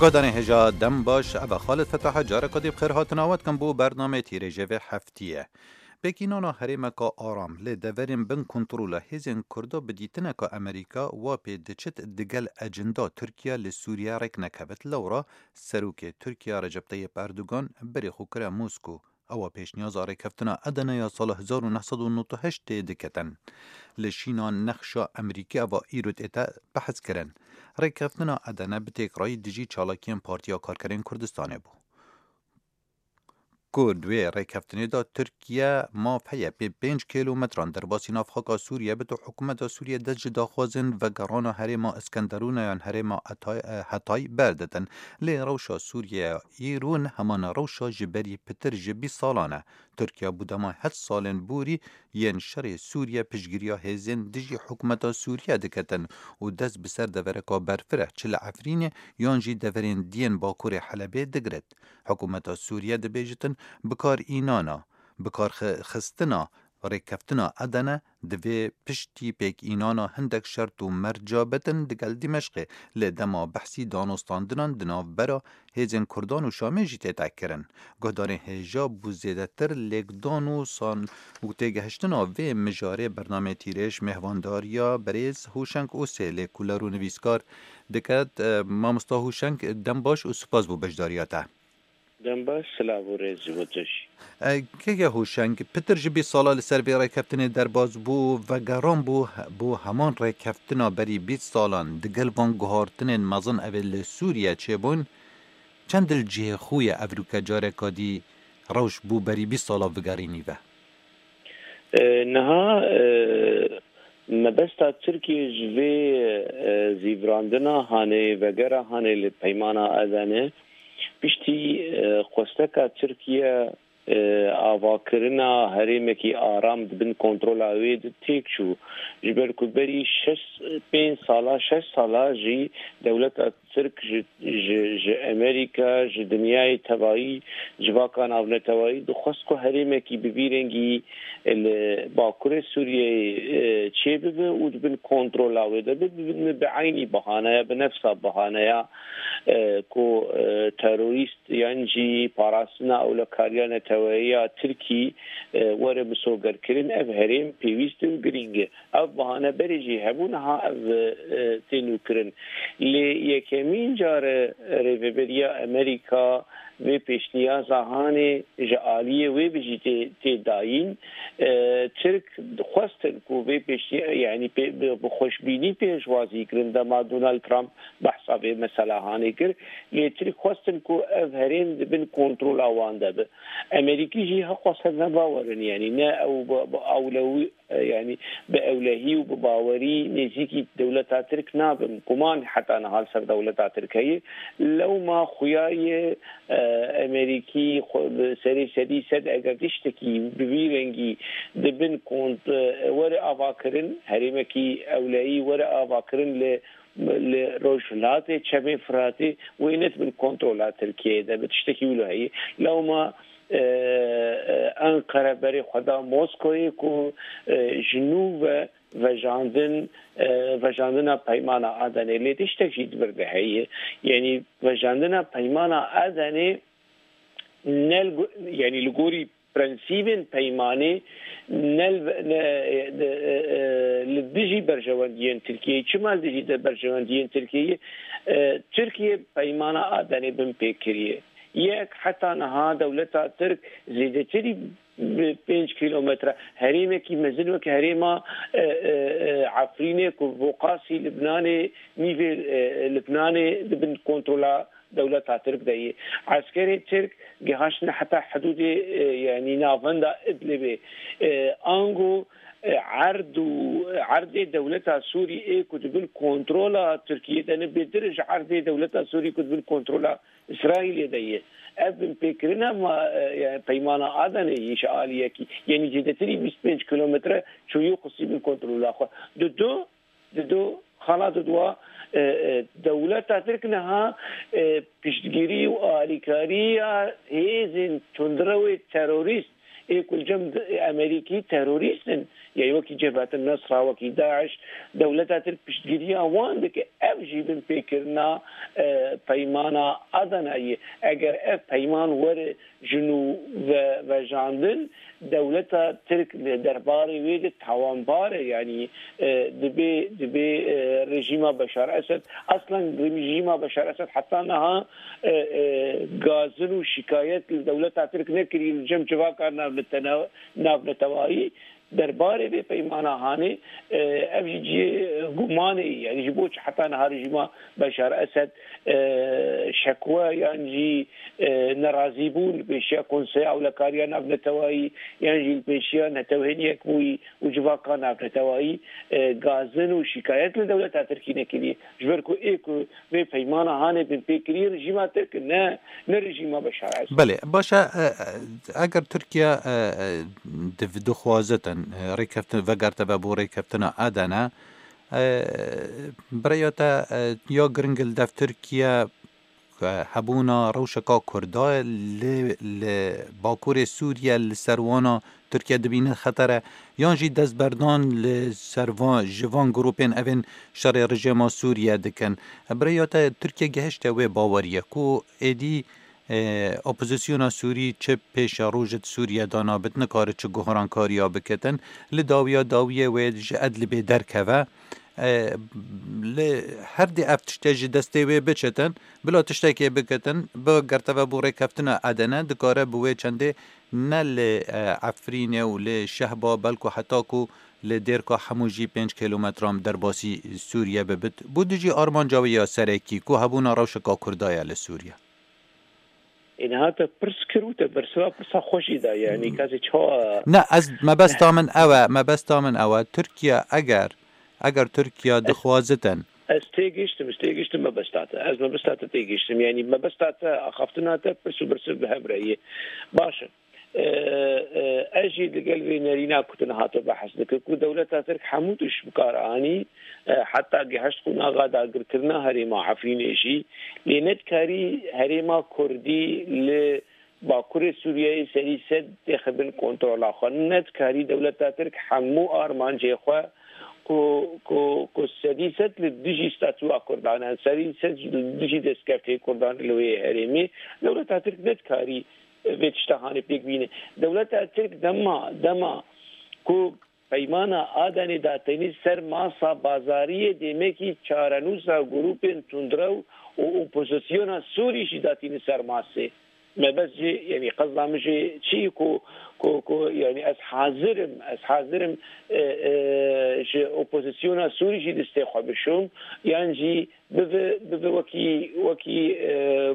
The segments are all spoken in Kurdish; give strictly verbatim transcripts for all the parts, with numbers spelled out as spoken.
Guhdarên hêja dem baş, ev e Xalid Fetah, careka dî bi xêr hatina we dikim bo bernameyê Tîrêjê vê heftiyê. Pêkînana herêmeka aram lê deverên bin kontrola hêzên Kurda bi dîtineka Amerîka wa pê diçit digel ecenda Tirkiye li Sûriye rêk nekevit. Lewra serokê Tirkiye Recep Tayyip Erdogan berê xwe kire Mosko. Ewa pêşniyaza rêkeftina Edene ya sala hezar û neh sed û nod û heşt tê diketin. Li şîna nexşa Amerîkî eva îro tête behs kirin. Rêkeftina Edene bi têkrayî dijî çalakiyên Partiya Karkerên Kurdistanê bû. Ku di wê rêkeftinê de Tirkiye maf heye pê pênc kîlometran derbasî navxaka Sûriye bit û hikûmeta Sûriye dest ji daxwazên vegerana herêma Iskenderûna yan herêma Etay-, e, Hetay berditin. Lê rewşa Sûriye îro ne heman rewşa ji berî pitir ji bîst salan e. Tirkiye bû dema heft salên borî yên şerê Sûriye piştgiriya hêzên dijî hikûmeta Sûriye diketin û dest bi ser devereka berfireh, çi li Efrînê yan jî deverên diyên bakurê Helebê digirit. Hikûmeta Sûriye dibêjitin, bikarînana, bikarxistina rêkeftina Edene divê piştî pêkînana hindek şert û merca bitin digel Dîmeşqê, lê dema behsî danûstandinan di navbera hêzên Kurdan û Şamê jî tête kirin. Guhdarên hêja bû zêdetir lêkdan û san û têgehiştina vê mijarê bernameyê Tîrêj mêhvandariya berêz Hûşeng Ûsê lê kuler û nivîskar diket. E, mamosta Hûşeng, dem baş û spas bo beşdariya te. Dem baş, silav û rêz ji bo tu jî. E, keke Hûşeng, pitir ji bîst sala li ser vê rêkeftinê derbas bû, vegeran bû, bû heman rêkeftina berî bîst salan, digel van guhartinên mezin evê li Sûriye çêbûn, çend li cihê xwe ye evroke careka dî rewş bû berî bîst sala vigerînî ve? E, niha, e, mebesta Tirkiyê ji vê, e, zîvirandina hanê, vegera hanê li peymana Edene, piştî, e, xwesteka Tirkiye, e, avakirina herêmekî aram di bin kontrola wê de têk çû. Ji ber ku berî şeş, pênc sala, şeş sala jî dewleta Tirk ji, ji, ji Amerîka, ji dinyayê tevayî, civaka navnetewayî dixwest ku herêmekî bi vî rengî li bakurê Sûriyeyê, e, çêbibe û di bin kontrola wê de be, bi, bi, bi eynî bahaneya, bi nefsa bahaneya, e, ku, e, terorîst yan jî parastina ewlekariya neteweyî ya Tirkî, e, were misogerkirin, ev herêm pêwîst û girîng e. Ev bahane berê jî hebû, niha ev, e, tê nûkirin. Lê yekemîn car e rêveberiya Amerîka vê pêşniyaza hanê ji aliyê wê bi jî tê, tê dayîn. E, Tirk xwestin ku vê pêşniya-, yanî pê-, bi, bi xweşbînî pêşwazî kirin dema Donald Trump behsa vê mesela hanê kir. Lê Tirk xwestin ku ev herêm di bin kontrola wan de be. Amerîkî jî heqwese nebawerin, yanî ne ew bi, bi ewlewî, e, yanî bi ewlehî û bi bawerî nêzîkî dewleta Tirk nabin. Guman heta niha li ser dewleta Tirk heye. Lewma xuya ye, e, Amerîkî xwe bi serê sedî sed eger tiştekî bi vî rengî di bin kont, e, were avakirin, herêmekî ewlehî were avakirin li, li rojhilatê Çemê Firatê, wê ne di bin kontrola Tirkiyeyê de be, tiştekî wilo heye. Lewma, e, e, Enqere berê xwe da Moskoyê ku, e, ji nû ve vejandin, e, vejandina peymana Adenê. Lê tiştek jî di vir de heye. Yanî vejandina peymana Adenê ne li go-, yanî li gorî prensîbên peymanê ne li, ne, e, e, e, li dijî berjewendiyên Tirkiyeyê. Çima li dijî de berjewendiyên Tirkiyeyê? E, Tirkiye peymana Adenê bin pê kiriye. Yek, heta niha dewleta Tirk zêdetirî bi pênc kîlometre herêmekî mezin weke herêma, e, e, e, Efrînê ku Boqasî Libnanê, nîvê, e, Libnanê di bin kontrola dewleta Tirk de ye. Eskerê Tirk gihaştine heta hidûdê, e, yanî navenda Idlibê. E, ango, e, erd û erdê dewleta Sûrî ê ku di bin kontrola Tirkiyê de ne bêtir ji erdê dewleta Sûrî ku di bin kontrola Îsraîlê de ye. Ev binpêkirina ma, e, yani peymana Adenê yî ji aliyekî, yanî zêdetirî bîst pênc kîlometre çûyî û xistî bin kontrola xwe. Di du, di du, xala di dua, e, e, dewleta Tirk niha, e, piştgirî û alîkariya hêzên tundrewê terorîst Ê ku li cem Amerîkî terorîst in, ya wekî Cebhetin Nesra, wekî DAIŞ, dewleta Tirk piştgiriya wan dike. Ev jî binpêkirina, e, peymana Adanayê. Eger ev peyman were ji nû ve vejandin, dewleta Tirk li derbarê wê de tawanbar e, yanî, e, dibê, dibê, e, rejîma Beşar Esed, aslen rejîma Beşar Esed heta niha, e, e, gazin û şikayet li dewleta Tirk nekirî li cem civaka navnetena-, navnetewayî. Derbarê vê peymana hanê, e, ev jî cihê gumanê ye. Yanî ji bo çi heta niha rejîma Beşar Esed, e, şekwe yan jî, e, nerazîbûn li pêşiya Konseya Ewlekariya Navnetewayî yan jî li pêşiya Netewên Yekbûyî û civaka navnetewayî, e, gazin û şikayet li dewleta Tirkî nekiriye. Ji ber ku ê ku vê peymana hanê binpêkirî rejîma Tirk, ne, ne rejîma Beşar Esed. Belê, baş e, e, eger Tirkiye, e, e, div-, dixwazitin, e, rêkeftin, vegerte ve bo rêkeftina Adana, e, bi rêya te, e, ya giring li dev Tirkiye, e, hebûna rewşeka Kurda li, li Bakurê Sûriye li ser wana Tirkiye dibîne xeter e, yan jî destberdan li ser van, ji van grûpên evên şerê rejîma Sûriye dikin. Bi rêya te Tirkiye gehişte wê baweriyê ku êdî, e, opozisyona Sûrî çi pêşerojê di Sûriye de nabit, nikare çi guhrankariya biketin, li dawiya dawiyê wê ji Idlibê derkeve. E, li her dê ev tişte ji destê wê biçitin, bila tiştekê bikitin, bi gerteve bo rêkeftina Edene, dikare bi wê çendê ne li, e, Efrînê û li Şehba, belku heta ku li Dêrka Hemû jî pênc kîlometran derbasî Sûriye bibit. Bo dijî armanca wê ya serekî, ku hebûna rewşeka Kurda ye li Sûriye. Ê, niha te pirs kir û te bersiva pirsa xwe jî da, yanî Hmm. kasê çawa Ne, ez, mebesta min ew e, mebesta min ew e. Tirkiye eger, eger Tirkiye Ez dixwazitin. Ez têgiştim, ez têgiştim mebesta te. Ez mebesta te têgiştim. Yanî mebesta te, axaftina te pirs û bersiv bi hev re ye. Baş e. E, e, ez jî digel vê nerîna ku tu niha tu behs dikir, ku dewleta Tirk hemû tişt bi kar anî, e, heta gihişt qonaxa dagirkirina herêma Efrînê jî, lê nedikarî herêma Kurdî li Bakurê Sûriyeyê serî sed têxe bin kontrola xwe. Nedikarî dewleta Tirk hemû armancê xwe ku, ku, ku sedî sed li dijî statûa Kurdan e, serî sed li dijî destkeftê Kurdan li wê herêmê, dewleta Tirk nedikarî vê tişta hanê pêk bîne. Dewleta Tirk dema, dema ku peymana Adenê datênî ser masa bazariyê, demekî çarenûsa grûpên tundrew û opozisyona Sûrî jî datîne ser masê. Mebest jî, yanî qezda min jî çi ku, ku, ku, yanî ez hazir im, ez hazir im, e, e, ji opozisyona Sûrî jî destê xwe bişom, yan jî bibe, bibe wekî, wekî, e,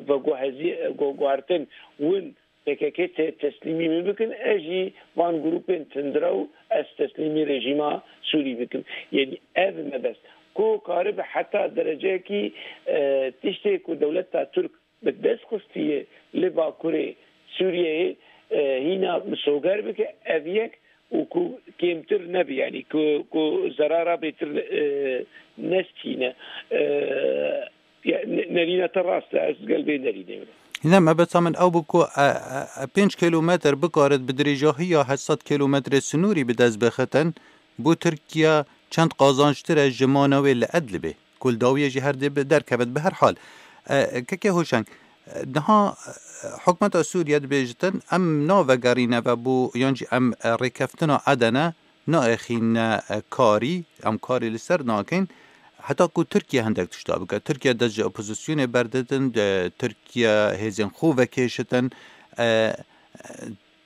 veguhezî-, gu-, guhertin win P K K te-, teslîmî min bikin, ez jî van grûpên tundrew ez teslîmî rejîma Sûrî bikim. Yanî ev mebest. Ku karibe heta dereceyekî, e, tiştê ku dewleta Tirk bi dest xistiye li Bakurê Sûriyeyê, e, hîna misoger bike, ev yek û ku kêmtir nebe, yanî ku, ku zerara bêtir, e, nestîne. E, ya, ne-, nerîna te rast e, ez gel vê nerînê me. Ne, mebesta min ew bû ku, e, e, e, pênc kîlometr bikarit bi dirêjahiya heft sed kîlometrê sinûrî bi dest bixitin, bo Tirkiye çend qazançtir e ji mana wê li Idlibê. Ku li dawiyê jî her dê bi derkevit. Bi her hal, e, kekê Hoşeng, e, niha, e, hikûmeta Sûriye dibêjitin, em navegerîne ve bo, yan jî em, e, rêkeftina Edene naêxîne, e, karî, em karê li ser nakin, heta ku Tirkiye hindek tişta bike. Tirkiye dest ji opozisyonê berdidin, e, Tirkiye hêzên xwe vekêşitin. E, e,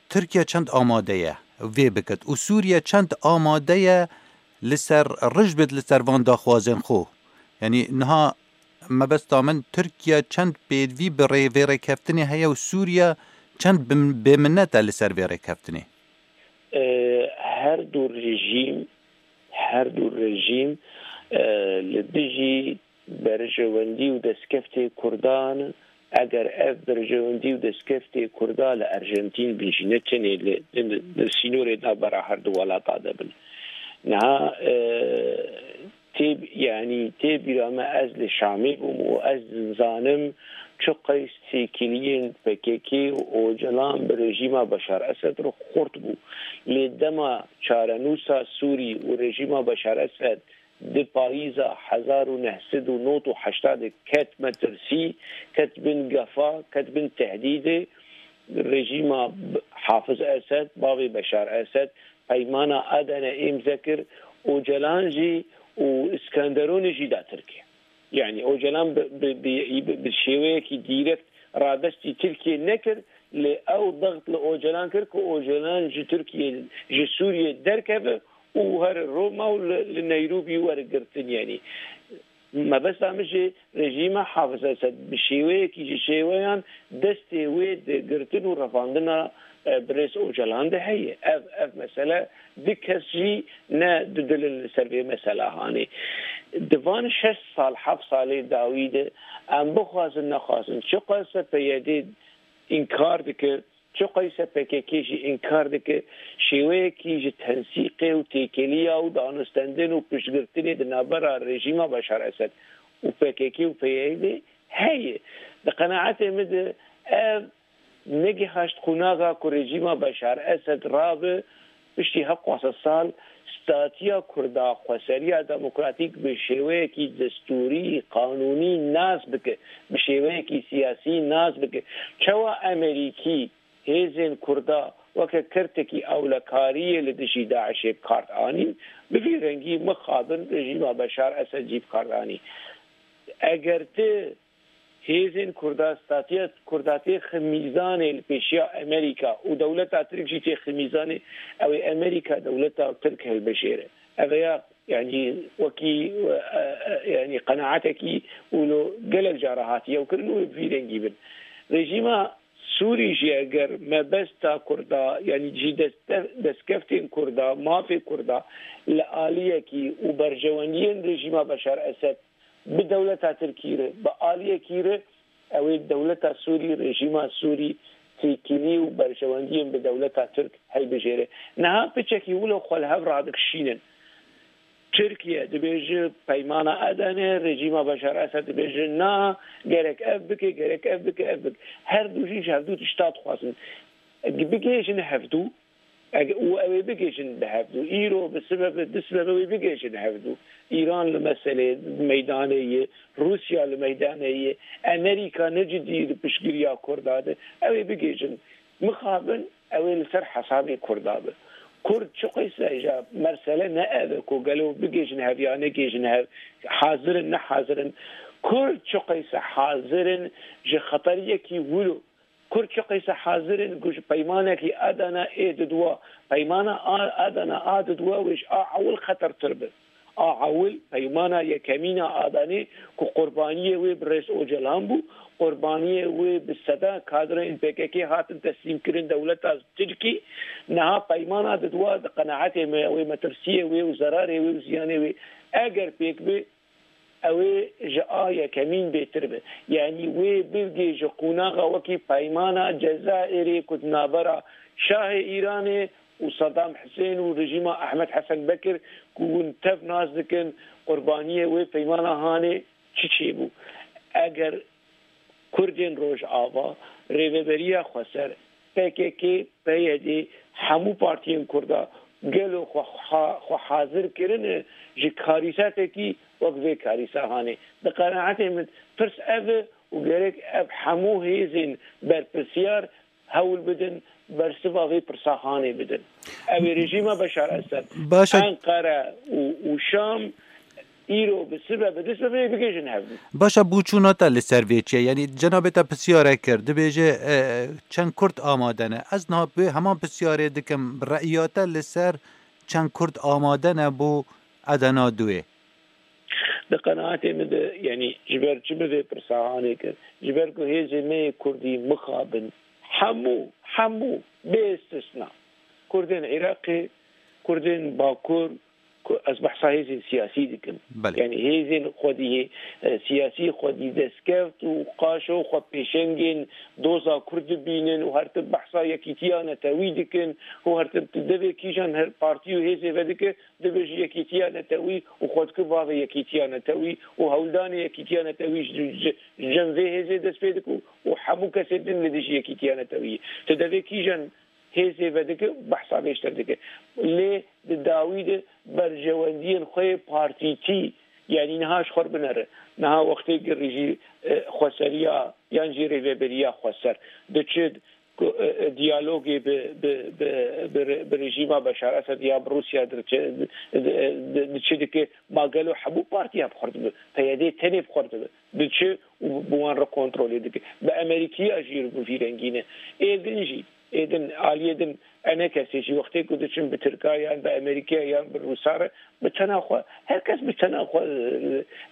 Tirkiye çend amade ye vê bikit û Sûriye çend amade ye li ser rij bit li ser van daxwazên xwe? Yanî niha mebesta min Tirkiye çend pêdivî bi rê-, vê rêkeftinê heye û Sûriye çend bi-, bêminet e li ser vê rêkeftinê? E, her du rejîm, her du rejîm, e, li dijî berjewendî û destkeftê Kurdan, eger ev berjewendî û destkeftê Kurda li Arjantîn bin jî, ne tenê li, li, li sînorê navbera her du welata de bin. Niha, e, tê, yanî tê bîra me, ez li Şamê bûm û ez dizanim Çiqas têkiliyên P K K û Ocalan bi rejîma Beşar Esed re xurt bû. Lê dema çarenûsa Sûrî û rejîma Beşar Esed di payîza hezar û neh sed û nod û heştê de ket metirsî, ket bin gefa, ket bin tehdîdê, rejîma Hafiz Esed, bavê Beşar Esed, peymana Adana îmze kir, Ocalan jî û Iskenderonî jî da Tirkiye. Yani Ocalan bi, bi, bi, bi, bi şêweyekî dîrekt radestî Tirkiye nekir, lê ew daxt li Ocalan kir ku Ocalan ji Tirkiye, ji Sûriye derkeve û here Roma û li, li Neyrobî were girtin. Yani mebesta min jî rejîma Hafiz Esed bi şêweyekî ji şêweyan destê wê di girtin û revandina, e, birêz Ocalan de heye. Ev, ev mesele du kes jî ne didilin li ser vê mesela hanê. Di van şeş sal, heft salê dawî de em bixwazin nexwazin, çiqas P Y D înkar dike, çiqas P K K jî înkar dike, şêweyekî ji tensîqê û têkiliya û danûstendin û piştgirtinê di navbera rejîma Beşar Esed û P K K û P Y D heye. Di qenaetê min de ev negihaşt qonaxa ku rejîma Beşar Esed rabe piştî hevdeh sal statiya Kurda, xweseriya demokratîk bi şêweyekî destûrî, qanûnî nas bike, bi şêweyekî siyasî nas bike. Çawa Amerîkî hêzên Kurda weke kertekî ewlekariyê li dijî DAIŞê bi kar anîn, bi vî rengî mixabin rejîma Beşar Esed jî bi kar anî. Eger ti hêzên Kurda, statiya Kurda têxe mîzanê li pêşiya Amerîka û dewleta Tirk jî têxe mîzanê, ew ê Amerîka dewleta Tirk hilbijêre. Ev ya, yani, wekî, e, e, yani, qenaetekî wilo gelek cara hatiye û kirin û vî rengî bin. Rejîma Sûrî jî eger mebesta Kurda, yani jî dest-, destkeftên Kurda, mafê Kurda li aliyekî û berjewendiyên rejîma Beşar Esed bi dewleta Tirkî re, bi aliyekî re, ew ê dewleta Sûrî, rejîma Sûrî têkilî û berjewendiyên bi dewleta Tirk hilbijêre. Niha piçekî wilo xwe li hev radikişînin. Tirkiye dibêje peymana Adane, rejîma Beşar Esed dibêje na, gerek ev bike, gerek ev bike, ev bike. Her du jî ji hevdû tişta dixwazin. Bigihêjin hevdû, eg-, û ew ê bigihêjin bi hevdû. Îro bi sibebe, du sibebe wê bigihêjin hevdû. Îran li meselê meydanê ye, Rûsya li meydanê ye, Amerîka ne cidî li piştgiriya Kurda de. Ew ê bigihêjin. Mixabin ew ê li ser hesabê Kurda be. Kurd çiqîse, îja mesele ne ev e ku gelo bigihêjin hev ya negihêjin hev, hazir in, ne hazir in. Kurd çiqîse hazir in ji xeteriyekî wilo. Kurd çiqîse hazir in ku ji peymanekî Adana ê didwa, peymana A-, Adana a didwa wê ji a ewil xetertir be. A ewil, peymana yekemîn a Adanê ku qurbaniyê wê birêz Ocalan bû, qurbaniyê wê bi seda kadreyên P K K hatin teslîmkirin dewleta Tirkî. Niha peymana didwa di qenaetê me, wê metirsiyê wê û zerarê wê û ziyanê wê eger pêk be, ew ê ji a yekemîn bêtir be. Yanî wê bigihêje qonaxa wekî peymana Cezayirê ku di navbera Şahê Îranê û Sedam Hisên û rejîma Ehmed Hesen Bekir ku hûn tev nas dikin, qurbaniyê wê peymana hanê çi çêbû? Eger Kurdên Rojava, Rêveberiya Xweser, P K K, P Y D, hemû partiyên Kurda gelo xwe ha-, xwe hazir kirine ji karîsetekî wek vê karîsa hanê? Di qenaetê min pirs ev e û gerek ev hemû hêzên berpirsiyar hewl bidin, bersiva vê pirsa hanê bidin. Ew ê rejîma Beşar Esed, Baş e. Enqere û, û Şam îro bi sibe, bi du sibe bigihêjin hevdû. Baş e, boçûna te li ser vê çi ye? Yanî cenabê te pisyarek kir, dibêje, e, çend Kurd amade ne? Ez niha bi heman pisyarê dikim, re'iya te li ser çend Kurd amade ne bo Edena duê? Di qenaetê min de, yanî ji ber çi min vê pirsa hanê kir? Ji ber ku hêzên me yê Kurdî mixabin, hemû, hemû, bê istisna, Kurdên Iraqê, Kurdên Bakur, Ku ez behsa hêzên siyasî dikim. Belê. Yani hêzên xwedî, e, siyasî xwedî destkeft û qaşo xwe pêşengên doza Kurd dibînin û her tim behsa yekîtiya netewî dikin û her tim tu devê kîjan her partî û hêzê vedike, dibe ji yekîtiya netewî û xwe dike bavê yekîtiya netewî û hewldanê yekîtiya netewî ji, ji, ji cem vê hêzê dest pê dike û hemû kesê din li dijî yekîtiya netewî. Tu devê kîjan hêzê vedike, behsa vê ji te dike. Lê di dawî de berjewendiyên xwe yê partîtî, yanî niha ji xwe binere. Niha wextê girî jî, e, xweseriya yan jî rêveberiya xweser diçe ku, e, e, diyalogê bi, bi, bi, bi, re-, bi rejîma Beşar Esed ya bi Rûsya diçe, di, di, di, diçe dike, ma gelo hemû partiya bi xwe dibe, P Y D tenê bi xwe dibe, diçe û bi wan re kontrolê dike. Bi Amerîkiya jî bi vî rengî ne. Ê din jî, ê din, aliyê din, enekesê jî wextê ku diçin bi Tirka yan bi Amerîkiya yan bi Rûsa re, bi tena xwe, her kes bi tena xwe,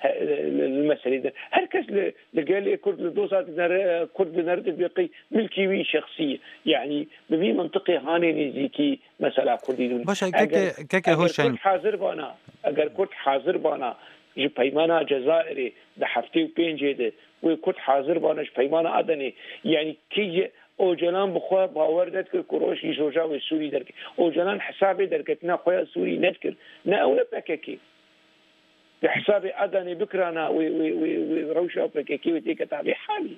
e, e, li, li meselê de. Her kes li, li gelê Kurd, li doza dinere, Kurd dinere dibê qey milkî wî şexsî ye. Yanî bi vî mintiqê hanê nêzîkî mesela Kurdî dibin. Baş e, keke, Eger, keke eger Hoşeng. Kurd hazir bana, eger Kurd hazir bana ji peymana Cezayirê di heftê û pêncê de, wê Kurd hazir bana ji peymana Adenê, yanî kî ye Ocalan bi xwe bawer nedikir ku roj jî roja wê Sûrî derkeve. Ocalan hesabê derketina xwe ya Sûrî nedikir. Ne ew ne P K K. Di hesabê Adanê bikirana wê, wê, wê, wê rewşa P K K wê têketa vê halî.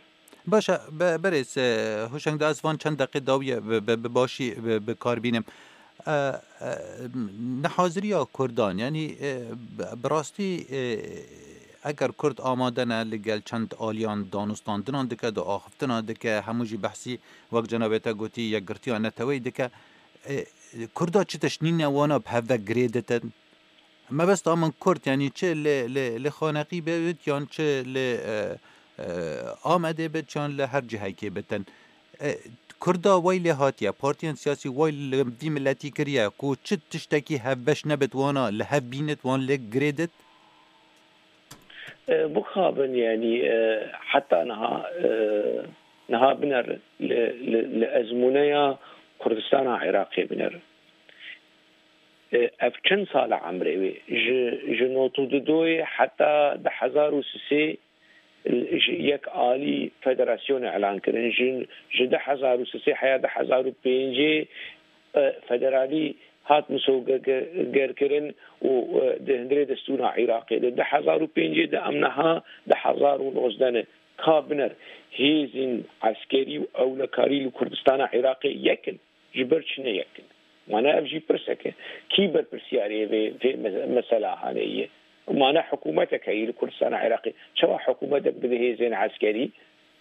Baş e, be-, berêz, e, Hoşeng, da ez van çend deqê dawiye bi, bi, bi başî bi, bi kar bînim. E, e, nehaziriya Kurdan, yanî, e, bi, bi rastî, e, eger Kurd amade ne li gel çend aliyan danûstandinan dike, di axiftina dike, hemû jî behsî, wek cenabê te gotî, yekgirtiya neteweyî dike, e, Kurda çi tişt nîne wana bi hev ve girê ditin? Mebesta min Kurd, yanî çi li, li, li Xaneqî bibit yan çi li, e, e, Amedê bit yan li her cihekê bitin. E, Kurda wey lê hatiye, partiyên siyasî wey li vî miletî kiriye ku çi tiştekî hevbeş nebit wana li hev bînit, wan lê girê dit? E, bixabin, yanî, e, heta niha, e, niha biner li, li, li ezmûneya Kurdistana Iraqê biner. E, ev çend sal e emrê wê? Ji, ji nod û du heta du hezar û sê ji yek alî federasyonê elan kirin. Ji, ji du hezar û sê heya du hezar û pêncê, e, federalî hat misogerkirin û, e, di hundirê destûra Iraqê de. Du hezar û pêncê de em niha du hezar û nozdeh ne. Ka biner hêzên eskerî û ewlekarî li Kurdistana Iraqê yek in. Ji ber çi ne yek in? Wana ev jî pirsek e. Kî berpirsiyarê vê, vê me-, mesela hanê ye? Wana hikûmetek heye li Kurdistana Iraqê. Çawa hikûmetek bide hêzên eskerî?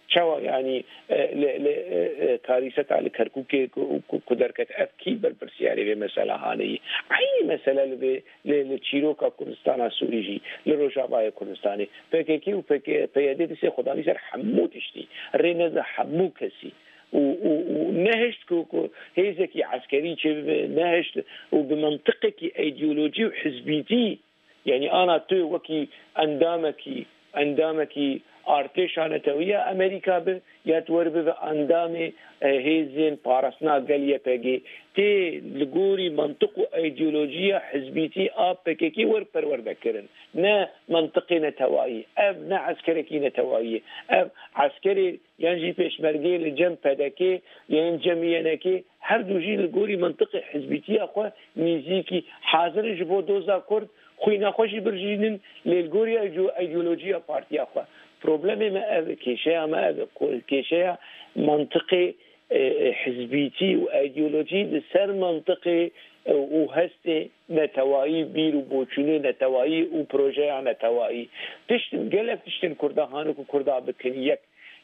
Çawa, yanî, e, li, li, e, e, karîseta li Kerkûkê ku, ku, ku derket, ev kî berpirsiyarê vê mesela hanê ye? Eynî mesele li vê, li, li çîroka Kurdistana Sûrî jî, li Rojavayê Kurdistanê. P K K û P K, P Y D destê xwe danî ser hemû tiştî. Rê neda hemû kesî. û, û, û nehişt ku, ku hêzekî eskerî çêbibe, nehişt û bi mentiqekî îdeolojî û hizbîtî, yanî ana tu wekî endamekî, endamekî artêşa netewî ya Amerîka bi, ya tu weribibe endamê, e, hêzên parastina gel Y P G, tê li gorî mentiq û îdeolojiya hizbîtî a P K K wer perwerde kirin. Ne mentiqê netewayî, ev ne eskerekî netewayî ye. Ev eskerê yan jî pêşmergeyê li cem P D K, yan cem Y N K, her du jî li gorî mintiqê hizbîtiya xwe nêzîkî hazir in ji bo doza Kurd, xwîna xwe jî birjînin, lê li gorî îdeo-, îdeolojiya partiya xwe. Problemê me ev e, kêşeya me ev e, ku kêşeya mintiqê, e, e, hizbîtî û îdeolojî li ser mintiqê, e, û hestê netewayî, bîr û boçûnê netewayî û projeya netewayî. Tiştin, gelek tiştên Kurda hane ku Kurda bikin yek.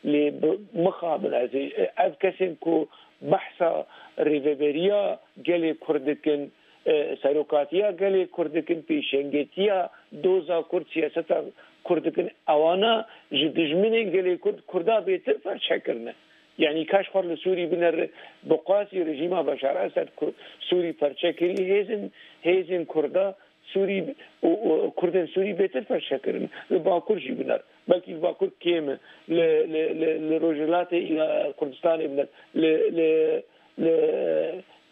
Lê bi-, mixabin ez ê, ev kesên ku behsa rêveberiya gelê Kurd dikin, e, serokatiya gelê Kurd dikin, pêşengetiya doza Kurd, siyaseta Kurd dikin, ewana ji dijminên gelê Kurd, Kurda bêtir perçe kirine. Yanî ka ji xwe li Sûrî binere, bi qasî rejîma Beşar Esed Ku-, Sûrî perçe kirî, hêzên, hêzên Kurda Sûrî û, û Kurdên Sûrî bêtir perçe kirin. Li Bakur jî biner. Belkî li Bakur kêm e. Li, li, li, li Rojhilatê ya Kurdistanê biner. Li, li, li,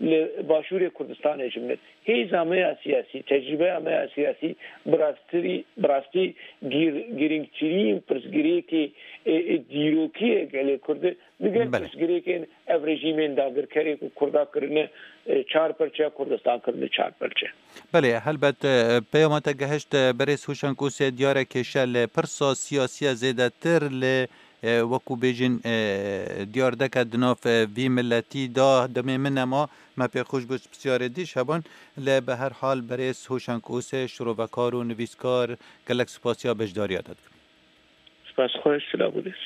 li Başûrê Kurdistanê jî min. Hêza me ya siyasî, tecrûbeya me ya siyasî bi rastî, bi rastî gîr-, girîngtirîn pirsgirêkê, e, e, dîrokî ye gelê Kurd e. Digel Belê. pirsgirêkên ev rejîmên dagirkerê ku Kurda kirine, e, çar perçe, Kurdistan kirine çar perçe. Belê, helbet, e, peyama te gehişt, e, berêz Hûşenk Ûsê, diyar e kêşe li pirsa siyasî ye zêdetir li, e, wekû bêjin, e, diyar deke di nav, e, vî miletî de demê min nema, me pê xweş bû pisyarê dî ji heban, lê bi her hal berêz Hûşenk Ûsê, şirovekar û nivîskar, gelek spasiya beşdariya te dikim. Spas xweş, silav û rêz.